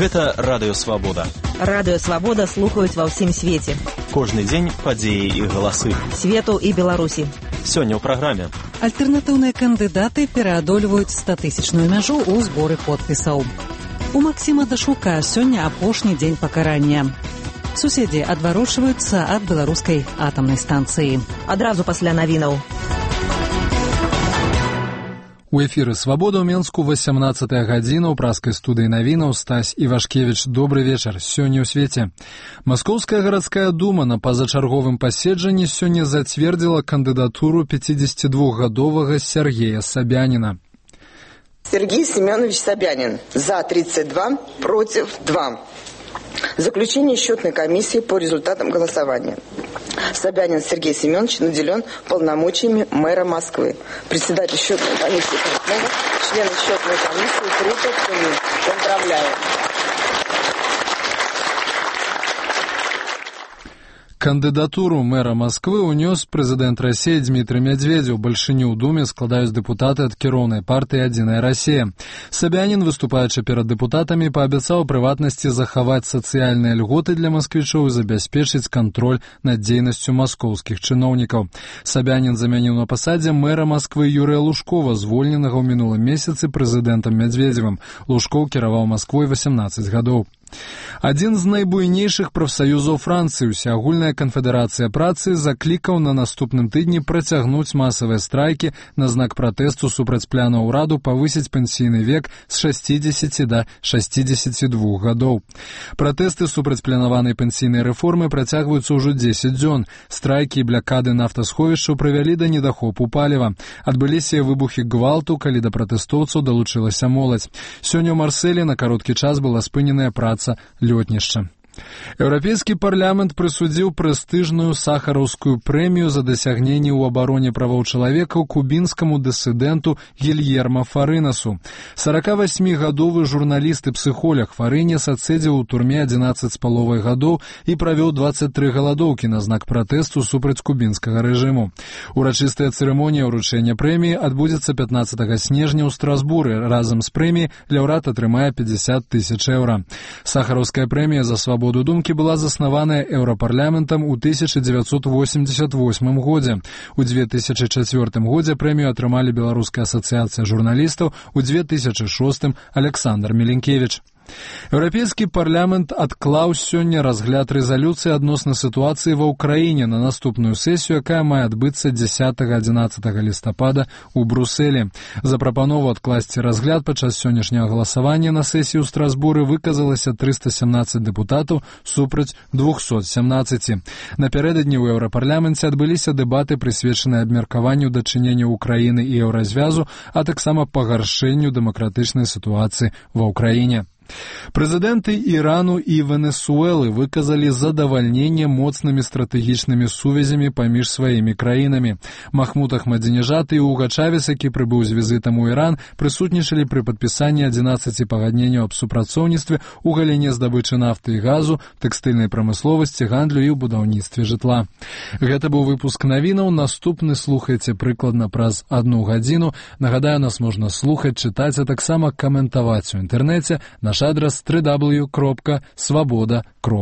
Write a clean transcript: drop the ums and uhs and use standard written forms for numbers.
Гэта Радыё Свабода. Радыё Свабода слухаюць ва ўсім свеце. Кожны дзень падзеі і галасы Свету і Беларусі. Сёння ў праграме. Альтэрнатыўныя кандыдаты пераадольваюць 100-тысячную мяжу ў зборы подпісаў. У Максіма Дашука сёння апошні дзень пакарання. Суседзі адварочваюцца ад беларускай атамнай станцыі. Адразу пасля навінаў. У эфіры «Свабода» ў Менску 18-я гадзіна ў праскай студыі навінаў Стась Івашкевіч. Добры вечар. Сёння ў свеце. Маскоўская гарадская дума на пазачарговым паседжанні сёння зацвердзіла кандыдатуру 52-гадовага Сергея Собянина. Сергей Семенович Собянин. За 32, против 2. Заключение счетной комиссии по результатам голосования. Собянин Сергей Семенович наделен полномочиями мэра Москвы. Председатель счетной комиссии Портнова, члены счетной комиссии Крутов. Поздравляю. Кандыдатуру мэра Москвы унёс прэзідэнт России Дмітрый Медведзеў. Бальшыню ў думе складаюць дэпутаты ад кіроўнай партыі «Адзіная Россия». Собянин, выступаючы перад дэпутатамі, паабяцаў прыватнасці захаваць сацыяльныя льготы для масквічоў і забяспечыць кантроль над дзейнасцю маскоўскіх чыноўнікаў. Собянин замяніў на пасадзе мэра Москвы Юрыя Лужкова, звольненага ў мінулым месяцы прэзідэнтам Медведзевым. Лужкоў кіраваў Масквой 18 гадоў. Адзін з найбуйнейшых прафсаюзаў Францыі, Усеагульная канфедэрацыя працы, заклікаў на наступным тыдні працягнуць масавыя страйкі на знак пратэсту супраць пляна ўраду павысіць пенсійны век з 60 да 62 гадоў. Пратэсты супраць планаванай пенсійнай рэформы працягваюцца ўжо 10 дзён. Страйкі і блякады нафтасховішчаў прывялі да недахопу паліва. Адбыліся выбухі гвалту, калі да пратэстоўцаў далучылася моладзь. Сёння ў Марселі на кароткі час была спыненая праца лётнішча. Еўрапейскі парламент прысудзіў прэстыжную сахараўскую прэмію за дасягненні ў абароне правоў чалавека кубінскаму дысідэнту Гільермо Фарынасу. 48-гадовы журналіст і псіхолог Фарынес адседзеў у турме 11,5 гадоў і правёў 23 галадоўкі на знак пратэсту супраць кубінскага рэжыму. Урачыстая цырымонія ўручэння прэміі адбудзецца 15 снежня ў Страсбуры. Разам з прэміяй лаўрэат атрымае 50 000 еўра. Сахараўская прэмія за свабоду думкі была заснаваная Еўрапарламентам у 1988 годзе. У 2004 годзе прэмію атрымалі Беларуская асацыяцыя журналістаў, у 2006 Александр Міленкевіч. Еўрапейскі парламент адклаў сёння разгляд рэзалюцыі адносна сітуацыі ва ўкраіне на наступную сесію, якая мае адбыцца 10-11 лістапада ў Брусэлі. За прапанову адкласці разгляд падчас сённяшняга галасавання на сесію ў Страсбуры выказалася 317 дэпутатаў супраць 217. Напярэдадні ў Еўрапарламенце адбыліся дэбаты, прысвечаныя абмеркаванню дачынення Ўкраіны і Еўразвязу, а таксама пагаршэнню дэмакратычнай сітуацыі ва ўкраіне. Прэзідэнты Ірану і Венесуэлы выказалі задавальненне моцнымі стратэгічнымі сувязямі паміж сваімі краінамі. Махмуд Ахмадзінежад і Уга Чавес, які прыбыў з візітам у Іран, прысутнічалі пры падпісанні 11 пагадненняў аб супрацоўніцтве ў галіне здабычы нафты і газу, тэкстыльнай прамысловасці, гандлю і ў будаўніцтве жытла. Гэта быў выпуск навінаў. Наступны слухайце прыкладна праз 1 гадзіну. Нагадаю, нас можна слухаць, чытаць, а таксама каментаваць у інтэрнэце. Наш адрес www.svoboda.ru.